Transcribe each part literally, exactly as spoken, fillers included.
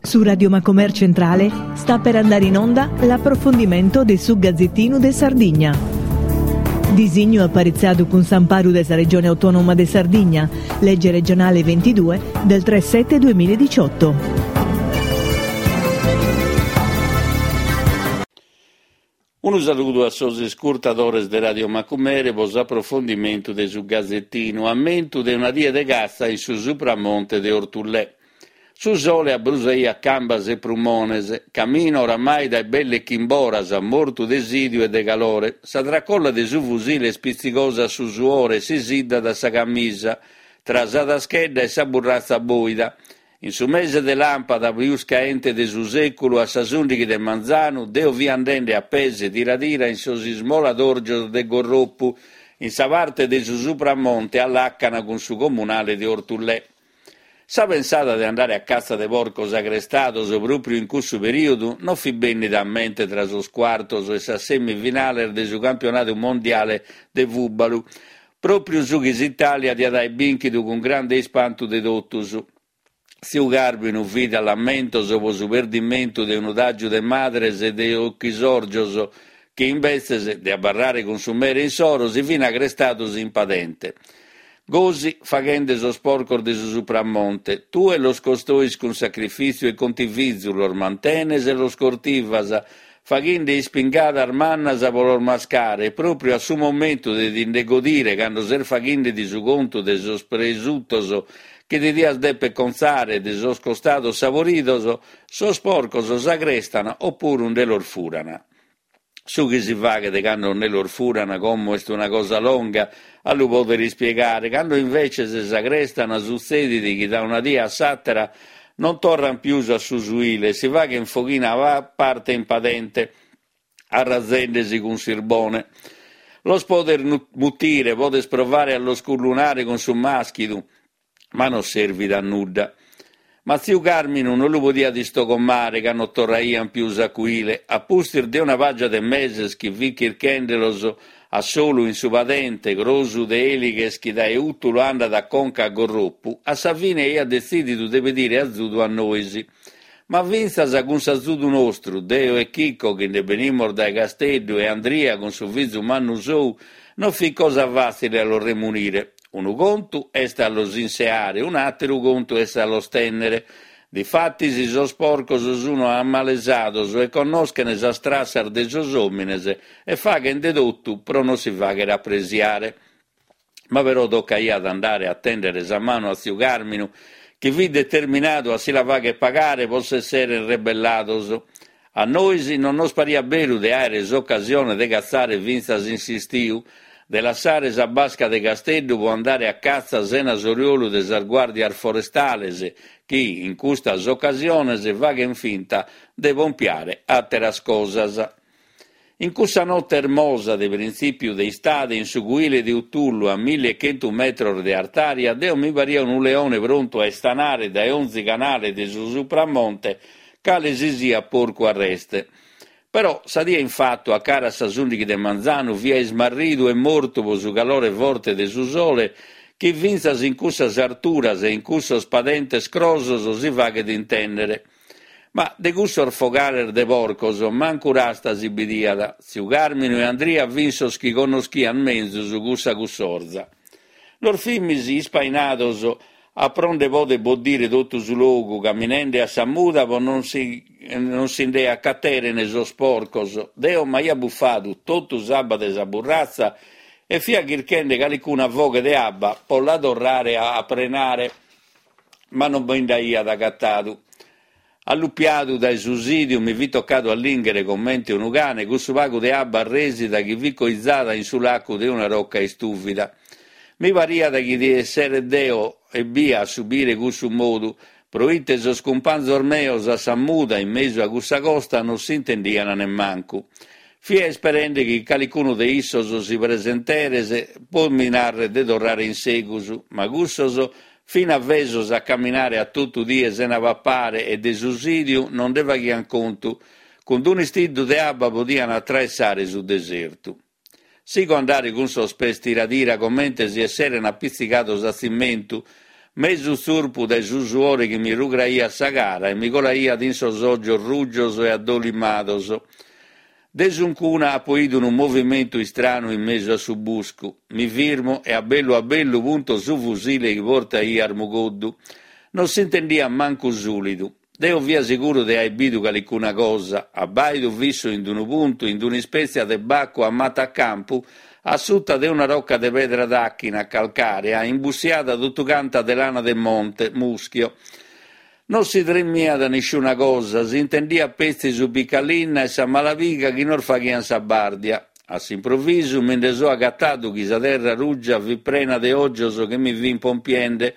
Su Radio Macomer Centrale sta per andare in onda l'approfondimento de su Gazzettinu de Sardigna. Disignu aparitzadu cun s'amparu de sa Regione Autonoma de Sardigna, legge regionale ventidue del tre sette duemiladiciotto. Unu saludu a sos iscurtadores de Radio Macumere pro s'aprofondimentu de su Gazettinu, ammentu de una die de catza in su Supramonte de Orthullè. Su sole abrusaiat cambas e prumones, camino oramai dae belle chimboras, mortu de sìdiu e de calore. Sa tracolla de su fusile est pitzigosa a su suore e si siddat sa camisa, tra sa taschedda e sa burratza bòida. In su mese de làmpada pius caente de su sèculu, a sas ùndighi de manzanu, deo fia andende a pes tira tira in sos ismoladòrgios de Gorropu, in sa parte de su Supramonte a làcana cun su comunale de Orthullè. Sa pensada de andare a catza de porcos agrestados pròpriu in cussu perìodu non fit bènnida a mente tra sos cuartos e sas semifinales de su campionadu mondiale de fùbalu, pròpriu su chi s'Itàlia diat aer bìnchidu cun grande ispantu de totus. Tziu Càrminu fit a lamentos pro su perdimentu de unu tàgiu de madres e de ochisòrgios chi, imbetzes de abarrare cun su mere insoro, si fin agrestados in padente. Gosi faghende sos porcos de su Supramonte, tue los costois cun sacrifìtziu e contivizu, los mantenes e los cortivas, faghende ispingadas mannas pro los mascare, e pròpriu a su momentu de ti nde godire cando ses faghende-ti su contu de sos presutos chi ti dias deper contzare de sos costados saboridos, sos porcos s'agrestan opuru nde los furan. Su chi si faghet cando nde los furan como est una cosa longa a lu poder ispiegare, cando inveces s'agrestan sutzedit chi da una die a s'àtera non torran pius a su suile e si faghen foghina a parte in padente, arrazende-si cun sirbone. Los podes mutire, podes provare a los cullunare cun su màschidu, ma non servit a nudda. Ma tziu Càrminu non lu podiat istogomare ca non torraian pius a cuile, a pustis de una pàgia de meses chi fit chirchende-los a solu in su padente, crosu de èlighes chi dae Ùtulu andat a conca a Gorropu, a sa fine aiat detzìdidu de pedire azudu a nois. Ma fintzas cun s'azudu nostru, deo e Chico chi nde benimus dae Casteddu e Andria cun su fizu mannu sou, non fit cosa fàtzile a los remunire. Unu contu est a los inseare, un'àteru contu est a los tènnere. Difatis sos porcos sun ammalesados e connoschen sas trassas de sos òmines e faghen de totu pro non si fàghere apresiare. Ma però tocaiat andare a tèndere sa manu a tziu Càrminu, chi fit determinadu a si la fàghere pagare pro s'esseren rebellados. A nois non nos pariat beru de àere s'ocasione de catzare fintzas in s'istiu, de lassare sa basca de Casteddu pro andare a catza sena s'oriolu de sas guàrdias forestales chi, in custas ocasiones, faghen finta de pompiare àteras cosas. In cussa note ermosa de printzìpiu de istade, in su cuile de Utullu, a milli e chentu metros de artària, deo mi paria unu leone prontu a istanare dae onzi canale de su Supramonte cale si siat porcu arreste. Però sa die in fatu, a cara a sas ùndighi de manzanu, fia ismarridu e mortu pro su calore forte de su sole chi fintzas in cussas arturas e in cussos padentes crosos si faghet intèndere. Ma de cussos fogales de porcos mancu rasta si bidiat. Tziu Càrminu e Andria fin sos chi connoschian menzus cussa cussorza. Nos fimis ispainados a pro nde poder boddire totu su logu, caminende a sa muda pro non si non si nde acateren sos porcos. Deo m'aia bufadu totu s'abba de sa burratza e fia chirchende calicuna foghe de abba pro la torrare a prenare, ma non mi nd'aiat agatadu. Allupiadu dae su sìdiu mi fit tocadu a lìnghere comente unu cane cussu pagu de abba arrèsida chi fit coizada in su lacu de una roca istùvida. Mi pariat chi esseret deo ebbia a subire cussu modu, proite sos cumpanzos meos a sa muda in mesu a cussa costa non s'intendian nemmancu. Fia isperende chi calicunu de issos si presenteret pro mi narrer de torrare in segus, ma cussos fin avesos a caminare a totu die sena papare e de su sìdiu non nde faghian contu, cun d'un'istiddu de abba podian atraessare su desertu. Sigo a andare cun sos pes tira tira comente si esseren apitzigados a tzimentu, Mesu tzurpu dae su suore chi mi rugraiat sa cara e mi colaiat in sos ògios rujos e addolimados. De suncuna apo 'idu unu movimentu istranu in mesu a su buscu. Mi firmo e a bellu a bellu punto su fusile chi portaia a armugoddu. Non s'intendiat mancu sùlidu. Deo fia seguru de aer bidu calicuna cosa, abbàido fissu in unu puntu, in un'ispètzia de bacu a mata a campu, a suta de una roca de pedra d'àchina calcàrea, imbussiada totu canta de lana de monte, muschio. Non si tremiat nisciuna cosa, s'intendiat petzi su picalinna e sa malapiga chi nos faghiant sa bàrdia. A s'improvisu mi nde so agatadu chi sa terra ruja fit prena de ògios chi mi fint pompiende.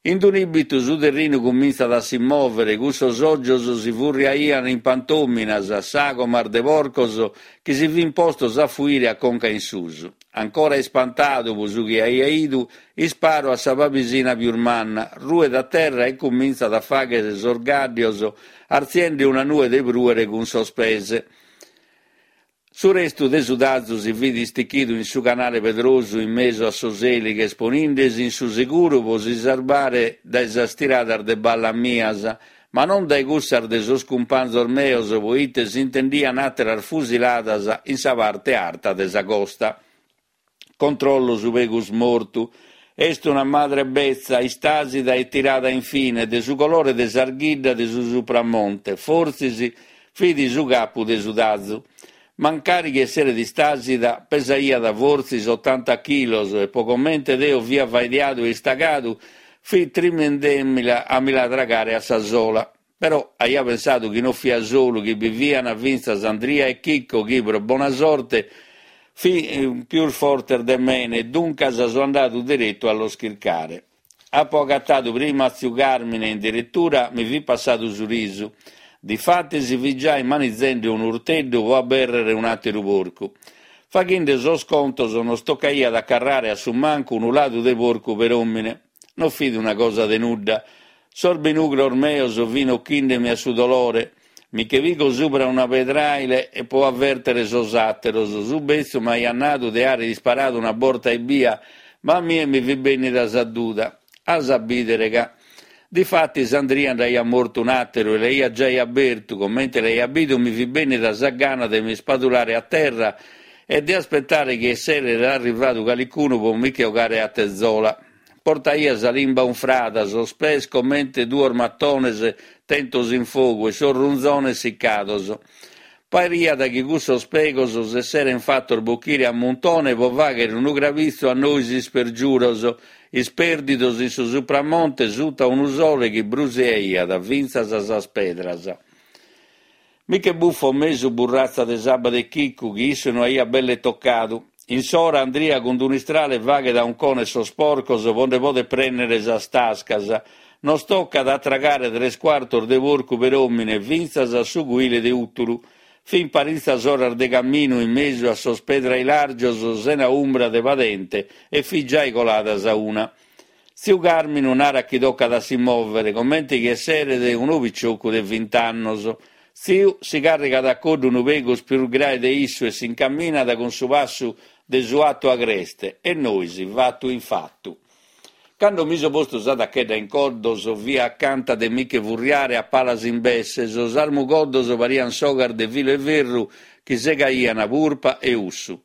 In un'ìbitu su terrinu cumintzat a si mòvere, cussos ògios si furriaiant in pantòminas, sàgomas de porcos chi si fint postos a fuire a conca in susu. Ancora ispantadu pro su chi aia 'idu, isparo a sa pabisina pius manna, ruet a terra e cumintzat a fàghere sos gàddios artziende una nue de prùere cun sos pes. Su restu de su tazu si fit istichidu in su canale pedrosu in mesu a sos èlighes, ponindesi in su seguru pro si sarbare dae sas tiradas de balla mias, ma non dae cussas de sos cumpanzos meos, proite s'intendian àteras fusiladas in sa parte arta de sa costa. Controllo su pegus mortu. Est una madre betza, istasida e tirada in fine, de su colore de s'arghidda de su Supramonte, fortzis fit su capu de su tazu. Mancari chi esseret istasida, pesaiat fortzis otanta chilos e pro comente deo fia faidiadu e istacadu, fit trimendemila a mi la tragare a sa sola. Però aia pensadu chi non fia solu, chi bi fiant fintzas Andria e Chicco chi, pro bona sorte, fin pius fortes de mene e duncas so andadu deretu a los chircare. Apo agatadu prima a tziu Carmine e in deretura mi fit passadu su risu. Difatis fit giai manizende unu urteddu pro abèrrere un'àteru porcu. Faghende sos contos nos tocaiat a carrare a su mancu unu ladu de porcu peròmine. Non fit una cosa de nudda. Sos benugros meos fin ochindemi a su dolore. Mi che pigo subra una pedraile e pro avèrtere sos àteros. Su betzu m'aiat nadu de àere isparadu una borta ebbia, ma a mie mi fit bènnida sa duda. As a bìdere ca. Difatis Andria nd'aiat mortu un'àteru e l'aiat giai abertu, comente l'aiat bidu mi fit bènnida sa gana de m'ispadulare a terra e de aspetare chi esseret arrivadu calicunu pro mi che 'ogare a tezola. Portaia sa limba unfrada, sos pes comente duos matones tentos in fogu e sos runzones sicados. Pariat chi cussos pegos s'esseren fatos bochire a muntone pro fàghere unu crabitzu a nois ispergiuros, ispèrdidos in su Supramonte suta unu sole chi brusiaiat fintzas sas pedras. Mi che bufo mesu burratza de s'abba de Chiccu, chi issu no aiat belle tocadu. In s'ora Andria cun un'istrale faghet a uncone sos porcos pro nde poder prènnere sas tascas. Nos tocat a tragare tres cuartos de porcu peròmine fintzas a su cuile de Ùtulu. Fin paritzas oras de caminu in mesu a sos pedrailàrgios sena umbra de padente e fit giai colada sa una. Tziu Carminu narat chi tocat a si mòvere, comente chi esseret unu piciocu de vint'annos. Tziu si càrrigat a coddu unu pegus prus grae de issu e s'incaminat cun su passu de su 'atu agreste e nois fatu in fatu. Cando mi so postu sa tachedda in coddos fia acanta de mi che furriare a palas imbesse, sos armugoddos parian sogas de filu 'e ferru chi segaian purpa e ussu.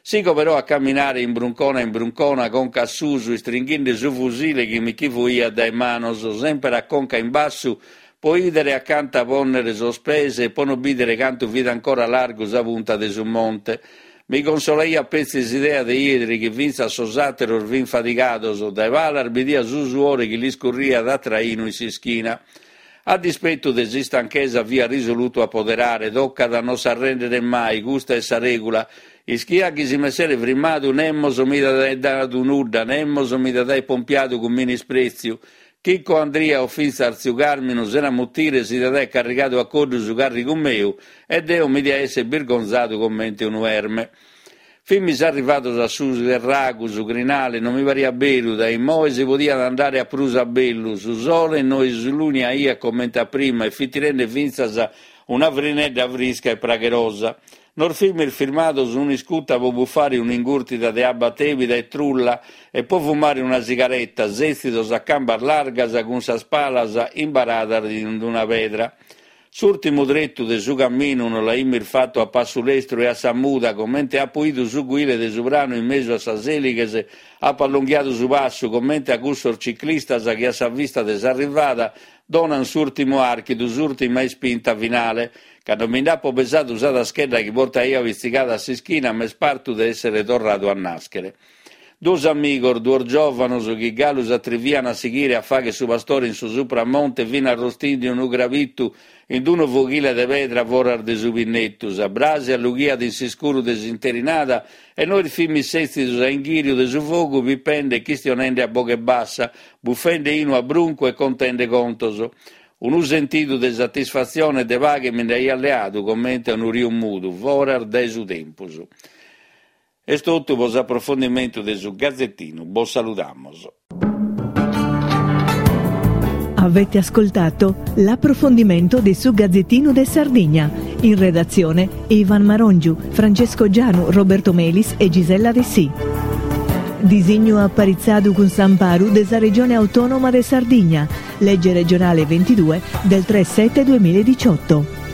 Sigo però a caminare in bruncona in bruncona, conca a susu, istringhende su fusile chi mi che fuiat dae manos, semper a conca in bassu, pro 'idere acanta pònnere sos pes e pro no bìdere cantu fit ancora largu sa punta de su monte. Mi consolaiat petzi s'idea de 'idere chi fintzas sos àteros fin fadigados, dae palas bidia su suore chi lis curriat a trainu in s'ischina. A dispetu de s'istanchesa fia risolutu a poderare, tocat a non s'arrèndere mai, custa est sa règula. Ischia chi si m'essere frimmadu nemos mi diat aer dadu nudda, nemos mi diat aer pompiadu cun minisprètziu. Chicco Andria o fintzas tziu Carminu sena mutire si diat aer carrigadu a coddu su càrrigu meu e deo mi dia esser birgonzadu comente unu erme. Fimis arrivados a su serragu, su crinale, non mi pariat beru, dae immoe si podiat andare a prus a bellu, su sole no isluniaiat comente a prima e fit tirende fintzas Una frinedda frisca e pragherosa. Nos fimis firmados un'iscuta pro bufare un'ingurtida de abba tèbida e trulla e pro fumare una sigareta, sètzidos a cambas largas cun sas palas imbaradas in una pedra. S'ùrtimu tretu de su caminu nos l'aimis fatu a passu lestru e a sa muda, comente apo 'idu su cuile de su pranu in mesu a sas èlighes, apo allonghiadu su passu, comente a cussos ciclistas chi a sa vista de s'arrivada donan s'ùrtimu àrchidu, s'ùrtima ispinta finale. Cando mi nd'apo pesadu sa taschedda chi portaia pitzigada a s'ischina, m'est partu de èssere torradu a nàschere. Duos amigos, duos giòvanos chi galu s'atrivian a sighire a fàghere su pastore in su Supramonte fin arrostinde unu crabitu in unu foghile de pedra foras de su pinnetu. Sa bràsia lughiat in s'iscuru de s'interinada e nois fimis sètzidos a inghìriu de su fogu pipende e chistionende a boghe bassa, bufende 'inu a bruncu e contende contos. Unu sentidu de satisfatzione e de paghe mi nd'aiat leadu comente a unu riu mudu, foras dae su tempus. Est totu pro s'aprofondimentu de su Gazetinu. Bos saludamos. Avete ascoltato l'approfondimento di su Gazzettino de Sardigna. In redazione Ivan Marongiu, Francesco Gianu, Roberto Melis e Gisella Dessì. Disignu aparitzadu cun s'amparu de sa Regione Autonoma de Sardigna, legge regionale ventidue del tre sette duemiladiciotto.